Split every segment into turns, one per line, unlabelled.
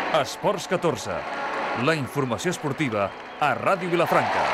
Esports 14, la informació esportiva a Ràdio Vilafranca.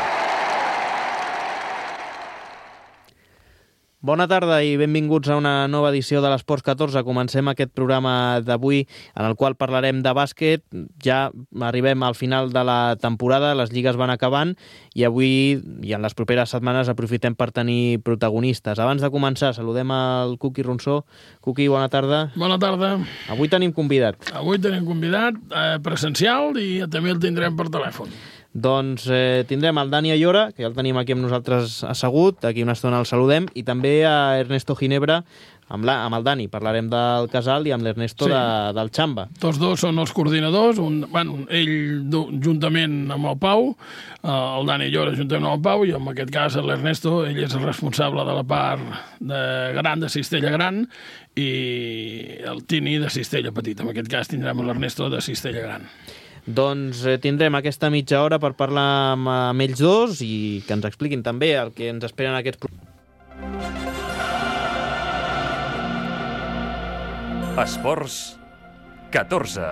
Bona tarda i benvinguts a una nova edició de l'Esports 14. Comencem aquest programa d'avui en el qual parlarem de bàsquet. Ja arribem al final de la temporada, les lligues van acabant i avui i en les properes setmanes aprofitem per tenir protagonistes. Abans de començar, saludem al Cuqui Ronsó. Cuqui, bona tarda.
Bona tarda.
Avui tenim convidat.
Avui tenim convidat presencial i també el tindrem per telèfon.
Doncs tindrem el Dani Ayora, que ja el tenim aquí amb nosaltres assegut, d'aquí una estona el saludem, i també a Ernesto Ginebra, amb el Dani. Parlarem del Casal i amb l'Ernesto del Xamba.
Tots dos són els coordinadors, ell juntament amb el Pau, el Dani Ayora juntament amb el Pau, i en aquest cas l'Ernesto, ell és el responsable de la part gran de Cistella Gran i el Tini de Cistella Petit. En aquest cas tindrem l'Ernesto de Cistella Gran.
Doncs tindrem aquesta mitja hora per parlar amb ells dos i que ens expliquin també el que ens esperen aquests programes.
Esports 14.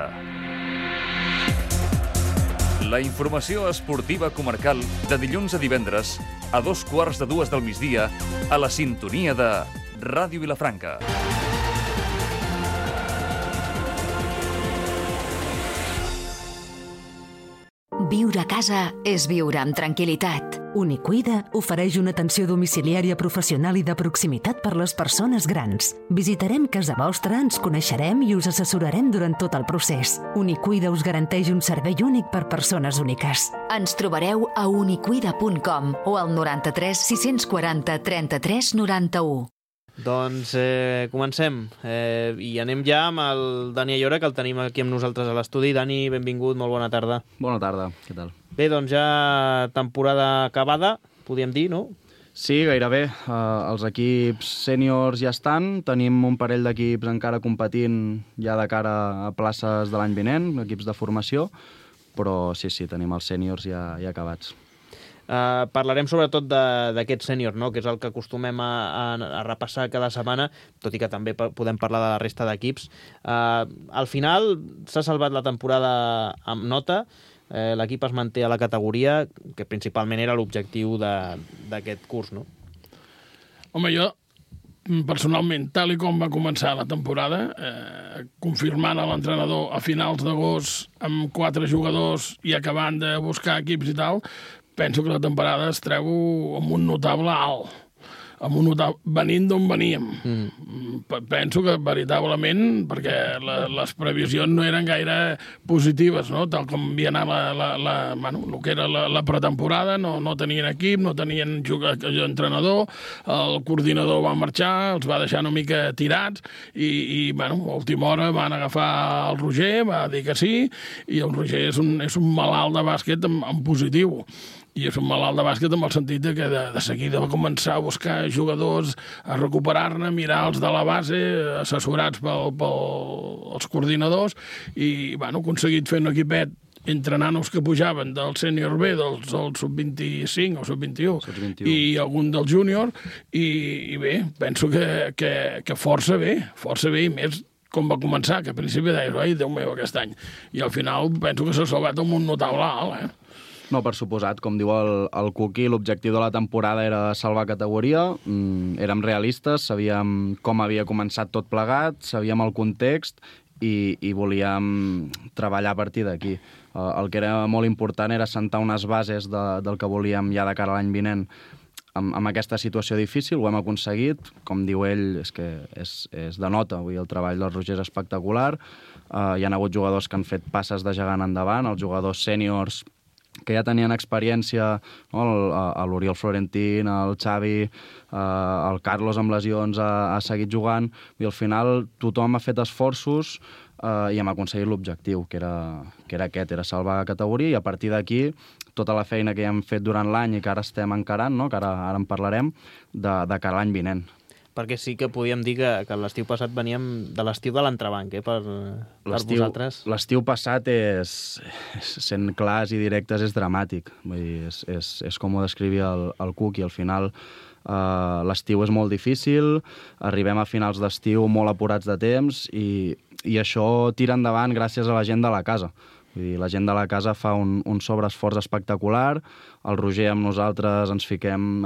La informació esportiva comarcal de dilluns a divendres a 2:15 del migdia a la sintonia de Ràdio Vilafranca.
Viure a casa és viure amb tranquil·litat.
Unicuida ofereix una atenció domiciliària professional i de proximitat per les persones grans. Visitarem casa vostra, ens coneixerem i us assessorarem durant tot el procés. Unicuida us garanteix un servei únic per persones úniques.
Ens trobareu a unicuida.com o al 93 640 33 91.
Doncs comencem i anem ja amb el Dani Ayora, que el tenim aquí amb nosaltres a l'estudi. Dani, benvingut, molt bona tarda.
Bona tarda, què tal?
Bé, doncs ja temporada acabada, podríem dir, no?
Sí, gairebé. Els equips sèniors ja estan, tenim un parell d'equips encara competint ja de cara a places de l'any vinent, equips de formació, però sí, tenim els sèniors ja acabats.
Parlarem sobretot d'aquest sènior, no? Que és el que acostumem a repassar cada setmana, tot i que també podem parlar de la resta d'equips. Al final s'ha salvat la temporada amb nota, l'equip es manté a la categoria, que principalment era l'objectiu d'aquest curs, no?
Home, jo personalment, tal i com va començar la temporada, confirmant a l'entrenador a finals d'agost amb 4 jugadors i acabant de buscar equips i tal, penso que la temporada es treu amb un notable alt, venint d'on veníem. Penso que veritablement, perquè les previsions no eren gaire positives, no? Tal com havia anat el que era la pretemporada, no tenien equip, no tenien entrenador, el coordinador va marxar, els va deixar una mica tirats i a última hora van agafar el Roger, va dir que sí, i el Roger és un malalt de bàsquet en positiu. I és un malalt de bàsquet en el sentit que de seguida va començar a buscar jugadors, a recuperar-ne, mirar-los de la base, assessorats pels coordinadors, i ha aconseguit fer un equipet entre nanos que pujaven del sènior B, del sub-25 o sub-21, i algun del júnior, i bé, penso que força bé, i més com va començar, que al principi deies, ai, Déu meu, aquest any. I al final penso que s'ha salvat amb un notable alt,
No, per suposat, com diu el Cuqui, l'objectiu de la temporada era salvar categoria, érem realistes, sabíem com havia començat tot plegat, sabíem el context i volíem treballar a partir d'aquí. El que era molt important era sentar unes bases del que volíem ja de cara a l'any vinent amb aquesta situació difícil, ho hem aconseguit, com diu ell, és que és de nota, avui el treball del Roger és espectacular, hi ha hagut jugadors que han fet passes de gegant endavant, els jugadors sèniors que ja tenien experiència, no? L'Oriol Florentín, el Xavi, el Carlos amb lesions ha seguit jugant, i al final tothom ha fet esforços i hem aconseguit l'objectiu, que era aquest, era salvar la categoria, i a partir d'aquí tota la feina que ja hem fet durant l'any i que ara estem encarant, no? Que ara en parlarem, de cara a l'any vinent.
perquè sí que podíem dir que l'estiu passat veníem de l'estiu de l'entrebanc, per vosaltres.
L'estiu passat sent clars i directes, és dramàtic. Vull dir, és com ho descrivia el Cuc, i al final l'estiu és molt difícil, arribem a finals d'estiu molt apurats de temps i això tira endavant gràcies a la gent de la casa. Vull dir, la gent de la casa fa un sobreesforç espectacular, el Roger amb nosaltres ens fiquem...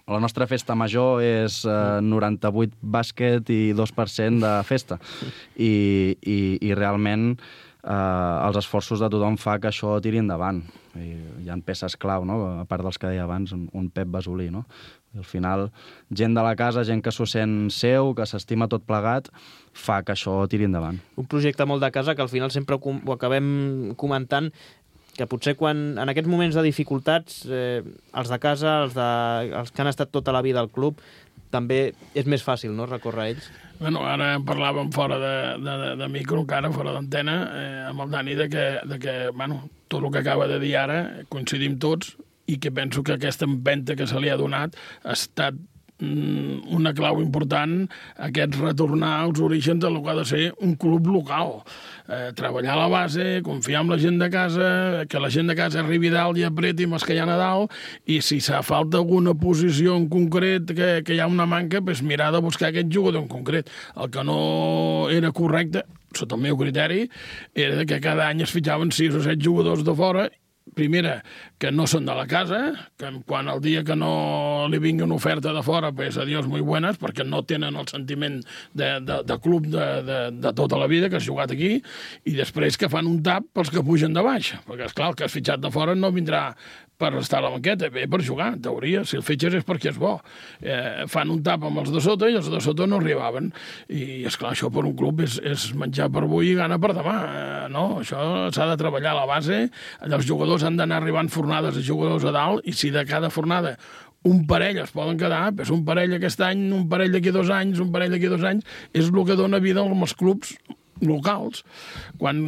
La nostra festa major és 98 bàsquet i 2% de festa. I realment els esforços de tothom fa que això tiri endavant. Hi ha peces clau, no? A part dels que deia abans, un Pep Basolí, no? I al final, gent de la casa, gent que s'ho sent seu, que s'estima tot plegat, fa que això tiri endavant.
Un projecte molt de casa que al final sempre ho acabem comentant, que potser quan en aquests moments de dificultats els de casa, els que han estat tota la vida al club, també és més fàcil, no?, recórrer a ells.
Bueno, ara parlàvem fora de micro, encara fora d'antena, amb el Dani, de que tot el que acaba de dir ara coincidim tots, i que penso que aquesta empenta que se li ha donat ha estat una clau important, aquest retornar als orígens del que ha de ser un club local. Treballar a la base, confiar en la gent de casa, que la gent de casa arribi dalt i apreti amb els que hi ha a dalt, i si s'ha falta alguna posició en concret que hi ha una manca, doncs mirar de buscar aquest jugador en concret. El que no era correcte, sota el meu criteri, era que cada any es fitxaven 6 o 7 jugadors de fora. Primera, que no són de la casa, que quan el dia que no li vingui una oferta de fora, pues adiós, muy buenas, perquè no tenen el sentiment de club de tota la vida que has jugat aquí, i després que fan un tap pels que pugen de baix, perquè, esclar, el que has fitxat de fora no vindrà per estar a la banqueta, bé per jugar, en teoria. Si el fitxes és perquè és bo. Fan un tap amb els de sota i els de sota no arribaven. I, esclar, això per un club és menjar per avui i gana per demà. No, això s'ha de treballar a la base. Els jugadors han d'anar arribant fornades de jugadors a dalt, i si de cada fornada un parell es poden quedar, doncs un parell aquest any, un parell d'aquí 2 anys, un parell d'aquí 2 anys, és el que dona vida als clubs locals. Quan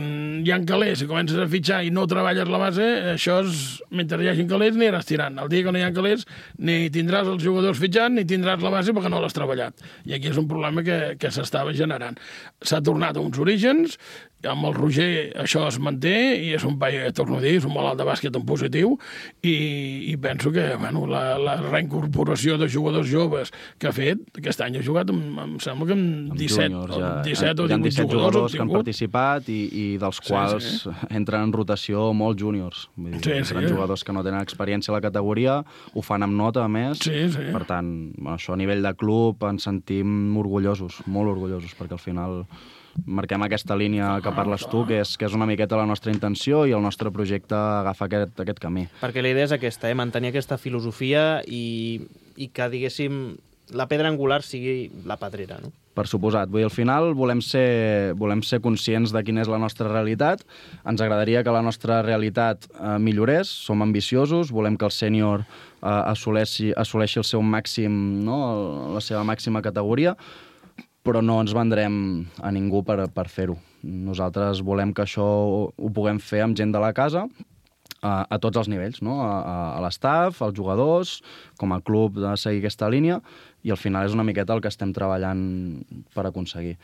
hi ha calés i comences a fitxar i no treballes la base, això és, mentre hi hagi calés, ni aniràs tirant. El dia que no hi ha calés, ni tindràs els jugadors fitxant, ni tindràs la base perquè no l'has treballat. I aquí és un problema que s'estava generant. S'ha tornat a uns orígens, amb el Roger això es manté, i és un paio, torno a dir, és un malalt de bàsquet en positiu, i penso que la reincorporació de jugadors joves que ha fet, aquest any ha jugat, em sembla que amb 17 o 18 jugadors
que han participat, i dels quals entren en rotació molts júniors. Entren jugadors que no tenen experiència a la categoria, ho fan amb nota, a més. Per tant, això a nivell de club ens sentim orgullosos, molt orgullosos, perquè al final marquem aquesta línia que parles tu, que és una miqueta la nostra intenció, i el nostre projecte agafa aquest camí.
Perquè la idea és aquesta, mantenir aquesta filosofia i que, diguéssim, la pedra angular sigui la pedrera, no?
Per suposat. Vull dir, al final volem ser conscients de quina és la nostra realitat. Ens agradaria que la nostra realitat millorés. Som ambiciosos, volem que el sènior assoleixi el seu màxim, no? La seva màxima categoria, però no ens vendrem a ningú per fer-ho. Nosaltres volem que això ho puguem fer amb gent de la casa, a tots els nivells, no? A l'estaf, als jugadors, com a club, de seguir aquesta línia, i al final és una miqueta el que estem treballant per aconseguir.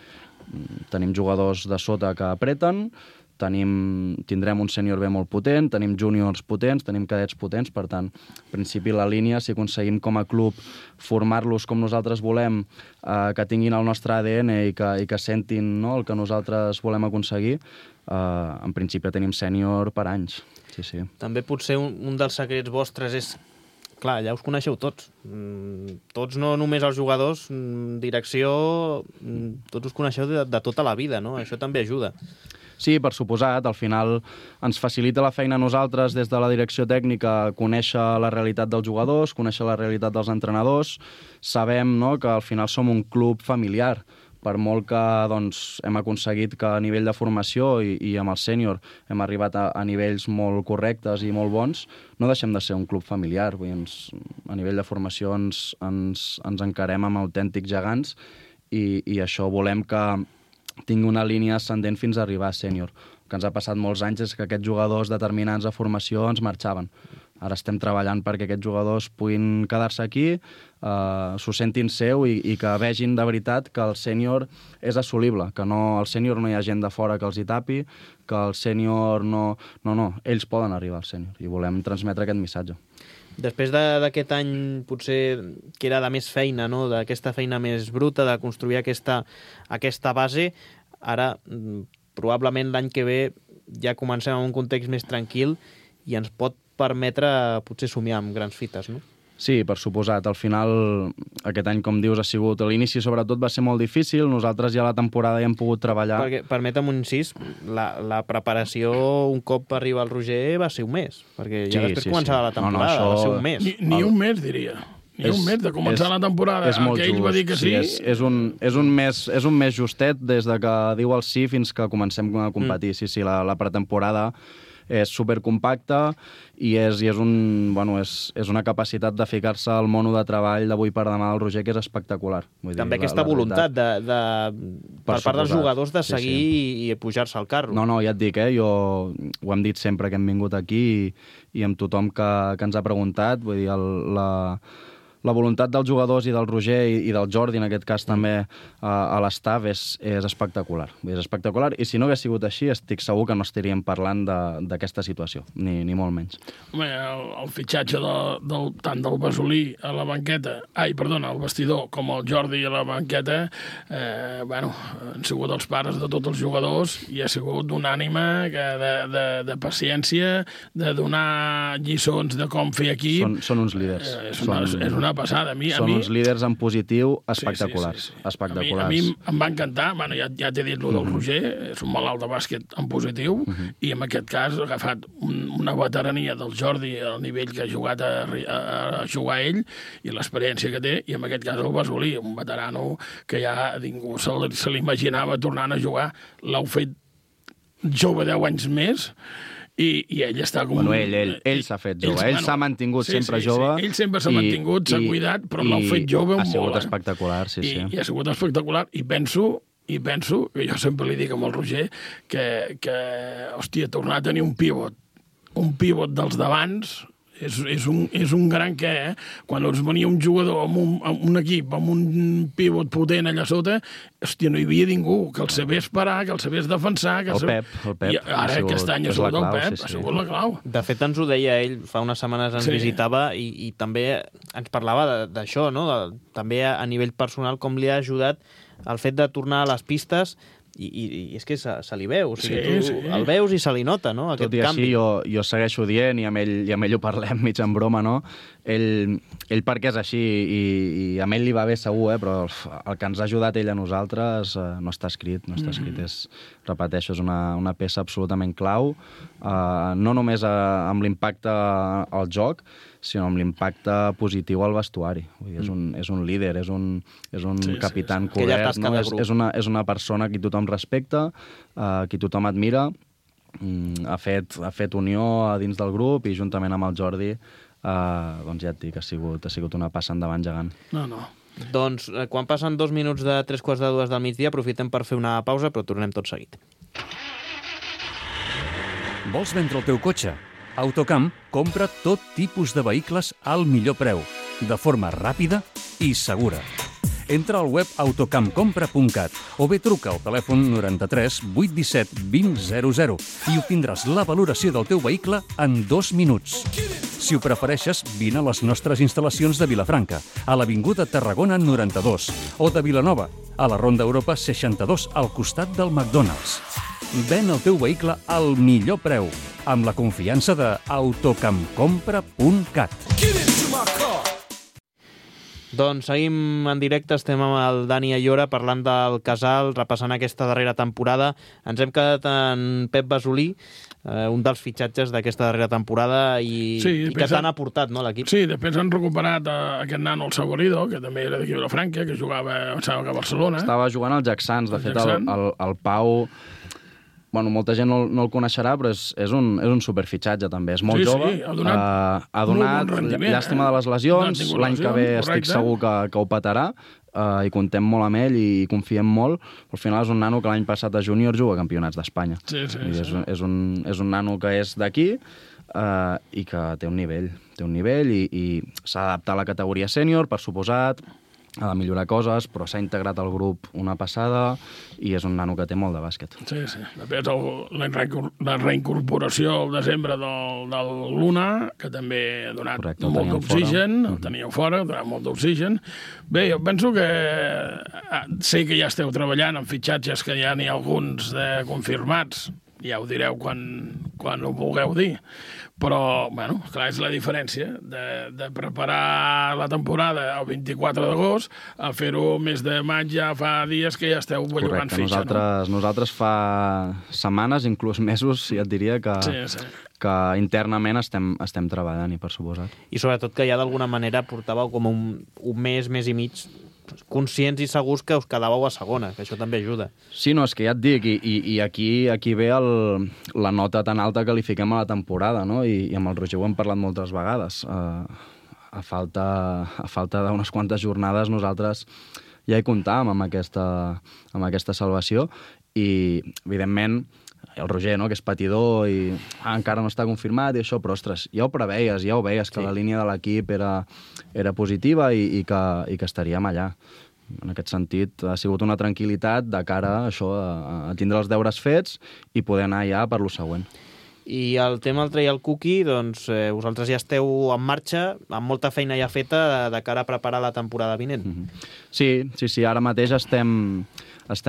Tenim jugadors de sota que apreten, tindrem un sènior B molt potent, tenim júniors potents, tenim cadets potents, per tant, en principi la línia, si aconseguim com a club formar-los com nosaltres volem, que tinguin el nostre ADN i que sentin, no, el que nosaltres volem aconseguir, en principi tenim sènior per anys. Sí.
També potser un dels secrets vostres és, clar, ja us coneixeu tots. Tots, no només els jugadors, direcció, tots us coneixeu de tota la vida, no? Això també ajuda.
Sí, per suposat. Al final ens facilita la feina a nosaltres des de la direcció tècnica conèixer la realitat dels jugadors, conèixer la realitat dels entrenadors. Sabem, no, que al final som un club familiar. Per molt que hem aconseguit que a nivell de formació i amb el sènior hem arribat a nivells molt correctes i molt bons, no deixem de ser un club familiar. Vull dir, a nivell de formació ens encarem amb autèntics gegants, i això volem que tingui una línia ascendent fins a arribar a sènior. El que ens ha passat molts anys és que aquests jugadors determinants de formació ens marxaven. Ara estem treballant perquè aquests jugadors puguin quedar-se aquí, s'ho sentin seu i que vegin de veritat que el sènior és assolible, que el sènior no hi ha gent de fora que els hi tapi, que el sènior no, ells poden arribar al sènior i volem transmetre aquest missatge.
Després d'aquest any, potser que era de més feina, no? D'aquesta feina més bruta, de construir aquesta base, ara probablement l'any que ve ja comencem en un context més tranquil i ens pot permetre potser somiar amb grans fites, no?
Sí, per suposat. Al final, aquest any, com dius, ha sigut... L'inici, sobretot, va ser molt difícil. Nosaltres ja a la temporada ja hem pogut treballar...
Perquè, permetem un incís, la preparació, un cop arriba el Roger, va ser un mes. Perquè ja després començava la temporada, va ser un mes.
Ni un mes, diria. Un mes de començar la temporada.
És molt just.
Va dir que sí.
És un mes justet des de que diu el sí fins que comencem a competir. Sí, la pretemporada és supercompacta i és una capacitat de ficar-se al mono de treball d'avui per demà del Roger que és espectacular. Vull
També
dir,
aquesta voluntat per part dels jugadors de seguir i pujar-se al carro.
No, ja et dic, jo ho hem dit sempre que hem vingut aquí i amb tothom que ens ha preguntat, vull dir, la voluntat dels jugadors i del Roger i del Jordi, en aquest cas també a l'estaf, és espectacular. És espectacular i si no hagués sigut així estic segur que no estaríem parlant d'aquesta situació, ni molt menys.
Home, el fitxatge tant del Basolí a la banqueta, al vestidor, com el Jordi a la banqueta, han sigut els pares de tots els jugadors i ha sigut d'una ànima de paciència, de donar lliçons de com fer equip.
Són uns líders.
És una passada.
Són uns líders en positiu espectaculars. Espectaculars.
A mi em va encantar, ja t'he dit el del Roger, és un malalt de bàsquet en positiu, i en aquest cas ha agafat una veterania del Jordi al nivell que ha jugat a jugar ell i l'experiència que té, i en aquest cas el Basolí, un veterano que ja ningú se l'imaginava tornant a jugar, l'heu fet jove 10 anys més, i ell està com...
Ell s'ha fet jove, ell s'ha mantingut sempre jove.
Ell sempre s'ha mantingut, s'ha cuidat, però l'ha fet jove molt.
Ha sigut espectacular, sí.
I ha sigut espectacular, i penso, que jo sempre li dic amb el Roger, que hòstia, tornar a tenir un pivot dels d'abans, és un gran què, Quan ens venia un jugador amb un equip, amb un pivot potent allà sota, hòstia, no hi havia ningú que el sabés parar, que el sabés defensar...
El Pep.
I ara aquest any ha sigut el Pep, ha sigut la clau.
De fet, ens ho deia ell, fa unes setmanes ens visitava i també ens parlava d'això, no? També a nivell personal, com li ha ajudat el fet de tornar a les pistes. I és que se li veu, o sigui, tu el veus i se li nota, no?, aquest canvi.
Tot i així, jo segueixo dient, i amb ell ho parlem mig en broma, no? Ell perquè és així, i amb ell li va bé segur, però el que ens ha ajudat ell a nosaltres no està escrit, repeteixo, és una peça absolutament clau, no només amb l'impacte al joc, sinó amb l'impacte positiu al vestuari. Vull dir, és un líder, és un capità encobert, no? És una persona a qui tothom respecta, a qui tothom admira, ha fet unió a dins del grup i juntament amb el Jordi, doncs ja et dic, ha sigut una passa endavant gegant.
No.
Doncs quan passen 2 minuts de 3:45 del migdia, aprofitem per fer una pausa, però tornem tot seguit.
Vols vendre el teu cotxe? Autocamp compra tot tipus de vehicles al millor preu, de forma ràpida i segura. Entra al web autocampcompra.cat o bé truca al telèfon 93 817 2000 i obtindràs la valoració del teu vehicle en 2 minuts. Si ho prefereixes, vine a les nostres instal·lacions de Vilafranca, a l'Avinguda Tarragona 92, o de Vilanova, a la Ronda Europa 62, al costat del McDonald's. Ven el teu vehicle al millor preu, amb la confiança de autocampcompra.cat.
Doncs seguim en directe, estem amb el Dani Ayora parlant del Casal, repassant aquesta darrera temporada. Ens hem quedat en Pep Basolí, un dels fitxatges d'aquesta darrera temporada i que t'han aportat, no, l'equip?
Sí, després han recuperat aquest nano, el Saborido, que també era d'aquí a Vilafranca, que jugava, em sembla que a Barcelona.
Estava jugant al Jacksans, de fet el Pau... Bueno, molta gent no el coneixerà, però és un superfitxatge, també. És molt jove.
Sí, ha donat
llàstima de les lesions. L'any que ve estic segur que ho petarà i contem molt amb ell i confiem molt. Al final és un nano que l'any passat a júnior juga a campionats d'Espanya.
Sí.
És un nano que és d'aquí, i que té un nivell i s'ha d'adaptar a la categoria sènior, per suposat, ha de millorar coses, però s'ha integrat al grup una passada i és un nano que té molt de bàsquet.
Sí. Després la reincorporació al desembre del Luna, que també ha donat molt d'oxigen, el teníeu fora, ha donat molt d'oxigen. Bé, jo penso que sé que ja esteu treballant en fitxatges, que ja n'hi ha alguns confirmats, ja ho direu quan ho vulgueu dir. Però, bueno, clar, és la diferència de preparar la temporada el 24 d'agost a fer-ho mes de maig, ja fa dies que ja esteu bellugant fitxa.
Nosaltres fa setmanes, inclús mesos, ja et diria que internament estem treballant, i per suposat.
I sobretot que ja d'alguna manera portàveu com un mes i mig conscients i segurs que us quedàveu a segona, que això també ajuda.
Sí, no, és que ja et dic, i aquí ve la nota tan alta que li fiquem a la temporada, no? I amb el Roger ho hem parlat moltes vegades. A falta d'unes quantes jornades nosaltres ja hi comptàvem amb aquesta salvació i, evidentment, el Roger, no?, que és patidor i encara no està confirmat i això, però, ostres, ja ho preveies, que la línia de l'equip era positiva i que estaríem allà. En aquest sentit, ha sigut una tranquil·litat de cara a això, a tindre els deures fets i poder anar ja per lo següent.
I el tema del Trial Cookie, doncs vosaltres ja esteu en marxa, amb molta feina ja feta de cara a preparar la temporada vinent.
Sí, ara mateix estem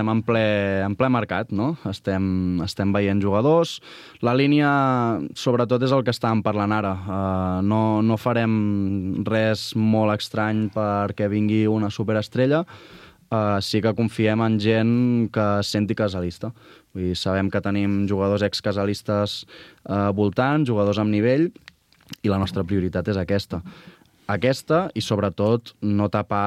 en ple mercat, no? Estem veient jugadors. La línia, sobretot, és el que estàvem parlant ara. No farem res molt estrany perquè vingui una superestrella. Sí que confiem en gent que es senti casalista. Vull dir, sabem que tenim jugadors ex-casalistes voltant, jugadors amb nivell, i la nostra prioritat és aquesta. Aquesta i, sobretot, no tapar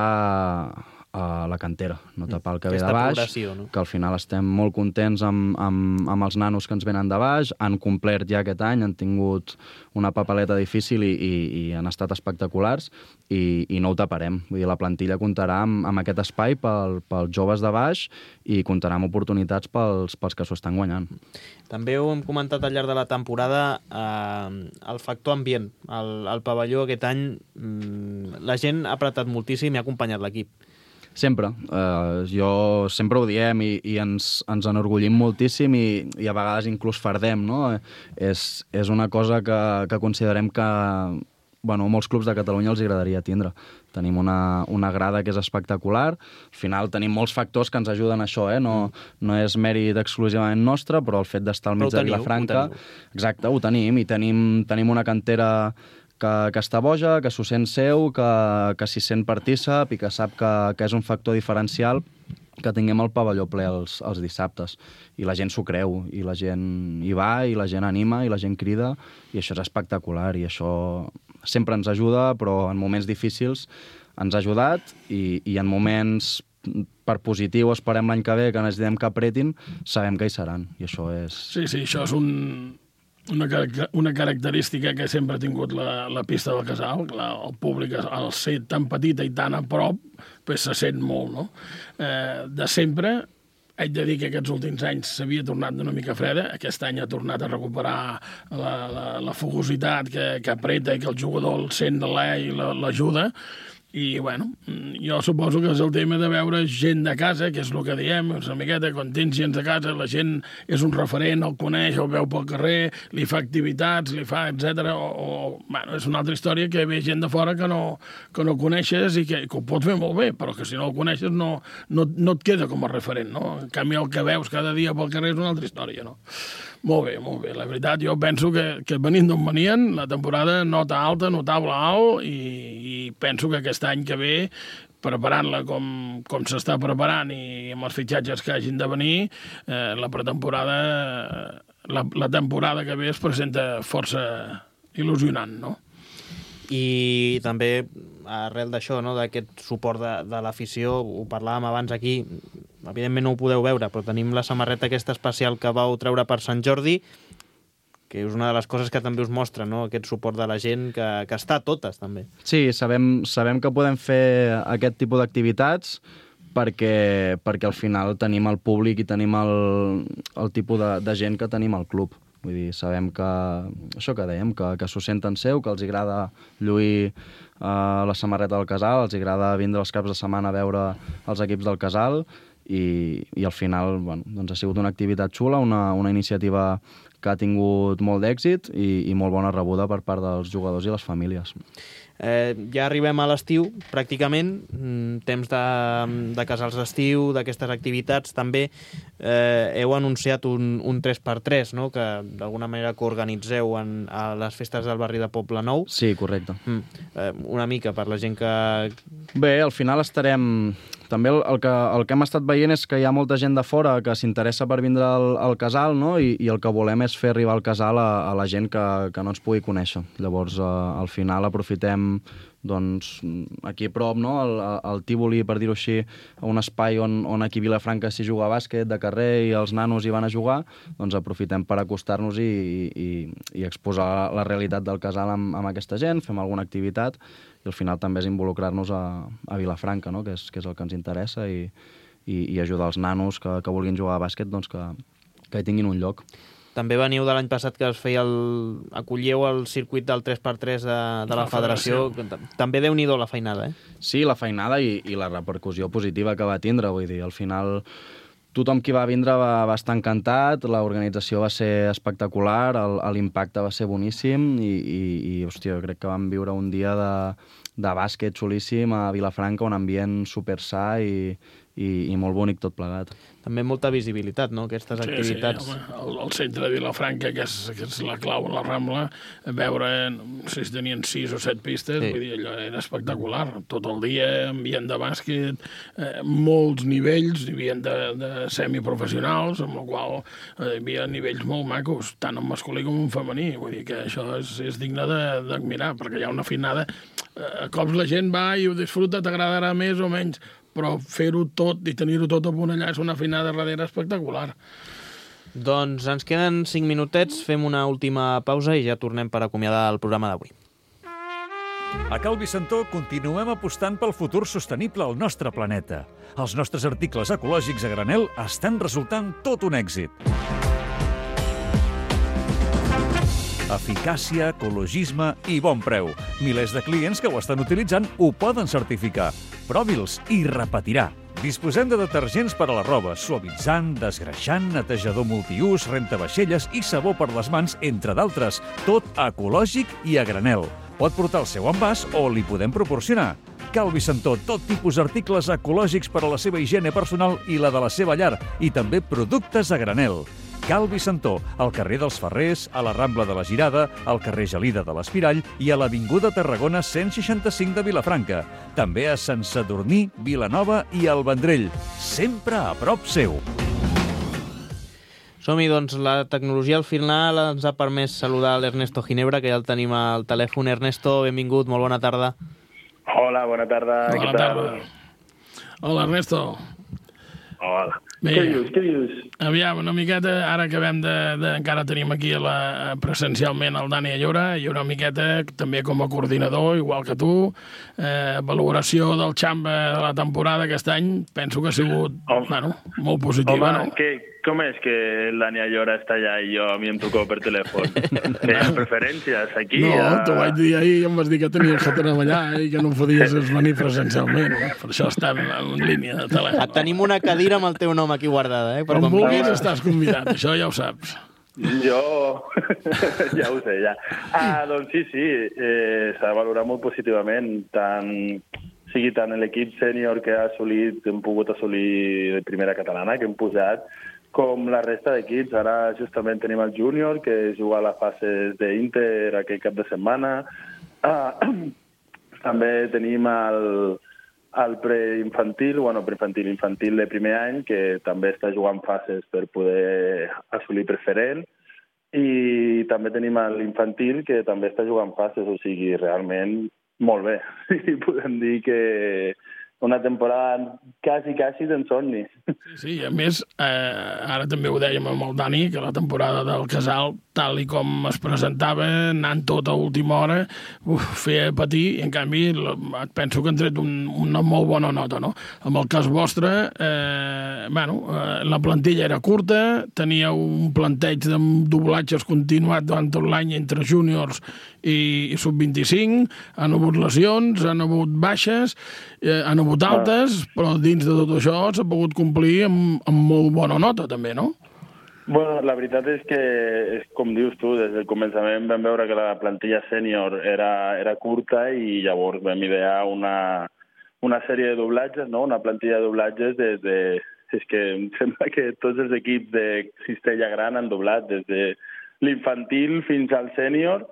a la cantera, no tapar el que ve de baix,
no?
Que al final estem molt contents amb els nanos que ens venen de baix, han complert ja aquest any, han tingut una papeleta difícil i han estat espectaculars i no ho taparem. Vull dir, la plantilla comptarà amb aquest espai pels joves de baix i comptarà amb oportunitats pels que s'ho estan guanyant.
També ho hem comentat al llarg de la temporada, el factor ambient. Al pavelló aquest any la gent ha apretat moltíssim i ha acompanyat l'equip.
Sempre. Jo sempre ho diem i ens enorgullim moltíssim i a vegades inclús fardem, no? És una cosa que considerem que molts clubs de Catalunya els agradaria tindre. Tenim una grada que és espectacular. Al final tenim molts factors que ens ajuden a això, no és mèrit exclusivament nostre, però el fet d'estar al mig de Vilafranca... Exacte, ho tenim, i tenim una cantera que està boja, que s'ho sent seu, que s'hi sent partícip i que sap que és un factor diferencial que tinguem el pavelló ple els dissabtes. I la gent s'ho creu, i la gent hi va, i la gent anima, i la gent crida, i això és espectacular, i això sempre ens ajuda, però en moments difícils ens ha ajudat, i en moments per positiu, esperem l'any que ve, que necessitem que apretin, sabem que hi seran, i això és...
Sí, això és una característica que sempre ha tingut la pista del Casal. El públic, al ser tan petita i tan a prop, pues se sent molt, no? De sempre, haig de dir que aquests últims anys s'havia tornat una mica freda. Aquest any ha tornat a recuperar la fogositat que apreta i que el jugador el sent de l'ai i l'ajuda. I, jo suposo que és el tema de veure gent de casa, que és el que diem, una miqueta, quan tens gent de casa, la gent és un referent, el coneix, el veu pel carrer, li fa activitats, li fa, etc. És una altra història que ve gent de fora que no coneixes i que ho pots fer molt bé, però que si no el coneixes no et queda com a referent, no? En canvi, el que veus cada dia pel carrer és una altra història, no? Molt bé. La veritat, jo penso que venint d'on venien, la temporada nota alta, notable alt, i penso que aquest any que ve, preparant-la com s'està preparant i amb els fitxatges que hagin de venir, la pretemporada, la temporada que ve es presenta força il·lusionant, no?
I també, arrel d'això, no, d'aquest suport de l'afició, ho parlàvem abans aquí, evidentment no ho podeu veure, però tenim la samarreta aquesta especial que vau treure per Sant Jordi, que és una de les coses que també us mostra, no?, aquest suport de la gent que està a totes, també.
Sí, sabem que podem fer aquest tipus d'activitats perquè al final tenim el públic i tenim el tipus de gent que tenim al club. Vull dir, sabem que, això que dèiem, que s'ho senten seu, que els agrada lluir la samarreta del Casal, els agrada vindre els caps de setmana a veure els equips del Casal i al final doncs ha sigut una activitat xula, una iniciativa que ha tingut molt d'èxit i molt bona rebuda per part dels jugadors i les famílies.
Ja arribem a l'estiu, pràcticament, temps de casals d'estiu, d'aquestes activitats. També heu anunciat un 3x3, no?, que d'alguna manera coorganitzeu a les festes del barri de Poble Nou.
Sí, correcte.
Una mica, per la gent que...
Bé, al final estarem... També el que hem estat veient és que hi ha molta gent de fora que s'interessa per vindre al Casal, no? I el que volem és fer arribar el Casal a la gent que no ens pugui conèixer. Llavors, al final aprofitem doncs, aquí a prop, no? El Tívoli, per dir-ho així, un espai on aquí a Vilafranca s'hi juga a bàsquet de carrer i els nanos hi van a jugar, doncs aprofitem per acostar-nos i exposar la realitat del Casal amb aquesta gent, fem alguna activitat i al final també és involucrar-nos a Vilafranca, no? que és el que ens interessa i ajudar els nanos que vulguin jugar a bàsquet doncs que hi tinguin un lloc.
També veniu de l'any passat que es feia acollíeu el circuit del 3x3 de la federació. També déu-n'hi-do la feinada, eh?
Sí, la feinada i la repercussió positiva que va tindre. Vull dir, al final tothom qui va vindre va estar encantat, l'organització va ser espectacular, l'impacte va ser boníssim i hòstia, jo crec que vam viure un dia de bàsquet xulíssim a Vilafranca, un ambient super sa i molt bonic tot plegat.
També molta visibilitat, no?, aquestes activitats.
Sí, home, el centre de Vilafranca, que és la clau a la Rambla, veure, no sé si tenien 6 o 7 pistes, vull dir, allò era espectacular. Tot el dia, ambient de bàsquet, molts nivells, hi havia de semiprofessionals, amb la qual hi havia nivells molt macos, tant en masculí com en femení. Vull dir que això és digne d'admirar, perquè hi ha una finada. A cops la gent va i ho disfruta, t'agradarà més o menys, però fer-ho tot i tenir-ho tot a punt allà és una finada darrere espectacular.
Doncs ens queden 5 minutets, fem una última pausa i ja tornem per acomiadar el programa d'avui.
A Cal Vicentó continuem apostant pel futur sostenible al nostre planeta. Els nostres articles ecològics a granel estan resultant tot un èxit. Eficàcia, ecologisme i bon preu. Milers de clients que ho estan utilitzant ho poden certificar. Provi'ls i repetirà. Disposem de detergents per a la roba, suavitzant, desgreixant, netejador multiús, rentavaixelles i sabó per les mans, entre d'altres. Tot ecològic i a granel. Pot portar el seu envàs o li podem proporcionar. Cal Vicentó, tot tipus d'articles ecològics per a la seva higiene personal i la de la seva llar, i també productes a granel. Cal Vicentó, al carrer dels Ferrers, a la Rambla de la Girada, al carrer Gelida de l'Espirall i a l'Avinguda Tarragona 165 de Vilafranca. També a Sant Sadurní, Vilanova i al Vendrell. Sempre a prop seu.
Som-hi, doncs, la tecnologia al final ens ha permès saludar l'Ernesto Ginebra, que ja el tenim al telèfon. Ernesto, benvingut, molt bona tarda.
Hola, bona tarda.
Bona tarda. Hola, Ernesto.
Hola.
Bé,
Què dius?
Aviam, una miqueta, ara acabem encara tenim aquí presencialment el Dani Allora, i una miqueta també com a coordinador, igual que tu, valoració del Xamba de la temporada aquest any, penso que ha sigut molt positiva, no?
Com és que el Dani Allora està allà i a mi em trucó per telèfon? Hi ha preferències aquí?
No, t'ho vaig dir ahir i em vas dir que tenies que treballar i que no podies venir presencialment. Per això estem en línia de telèfon.
Et tenim una cadira amb el teu nom aquí guardada,
Per quan vulguis estàs convidat, això ja ho saps.
Jo ja ho sé, ja. Doncs sí, s'ha valorat molt positivament, tant l'equip sènior que hem pogut assolir de primera catalana, que hem posat, com la resta d'equips. Ara justament tenim el júnior, que juga a la fase d'Inter aquest cap de setmana. També tenim el preinfantil de primer any, que també està jugant fases per poder assolir preferent. I també tenim l'infantil, que també està jugant fases, o sigui, realment molt bé. I podem dir que una temporada quasi d'ensomni.
Sí, a més, ara també ho dèiem amb el Dani, que la temporada del Casal tal i com es presentava, anant tot a última hora, feia patir, i en canvi et penso que han tret una molt bona nota, no? En el cas vostre, la plantilla era curta, tenia un planteig de doblatges continuat durant tot l'any entre júniors i sub-25, han hagut lesions, han hagut baixes, han hagut altes, però dins de tot això s'ha pogut complir amb molt bona nota, també, no?
Bueno, la veritat és que, com dius tu, des del començament vam veure que la plantilla sènior era curta i llavors vam idear una sèrie de doblatges, no? Una plantilla de doblatges és que em sembla que tots els equips de Cistella Gran han doblat, des de l'infantil fins al sènior,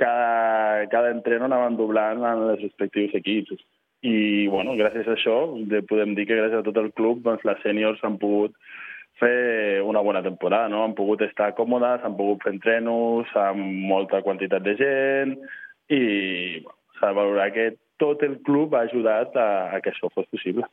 cada entreno anaven doblant en els respectius equips. I, bueno, gràcies a això, podem dir que gràcies a tot el club, doncs, les sèniors han pogut fer una bona temporada, no? Han pogut estar còmodes, han pogut fer entrenos amb molta quantitat de gent i s'ha de valorar que tot el club ha ajudat a que això fos possible.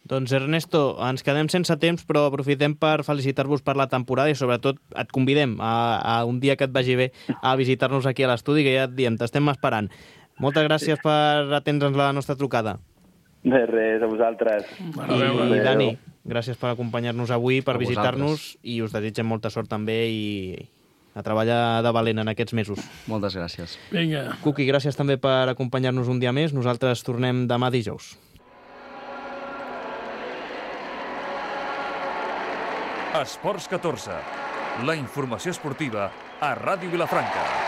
Doncs Ernesto, ens quedem sense temps, però aprofitem per felicitar-vos per la temporada i sobretot et convidem a un dia que et vagi bé a visitar-nos aquí a l'estudi, que ja et diem, t'estem esperant. Moltes gràcies per atendre'ns la nostra trucada.
De res, a vosaltres.
I Dani, gràcies per acompanyar-nos avui, per visitar-nos, i us desitgem molta sort també i a treballar de valent en aquests mesos.
Moltes gràcies.
Vinga.
Cuqui, gràcies també per acompanyar-nos un dia més. Nosaltres tornem demà dijous.
Esports 14, la informació esportiva a Ràdio Vilafranca.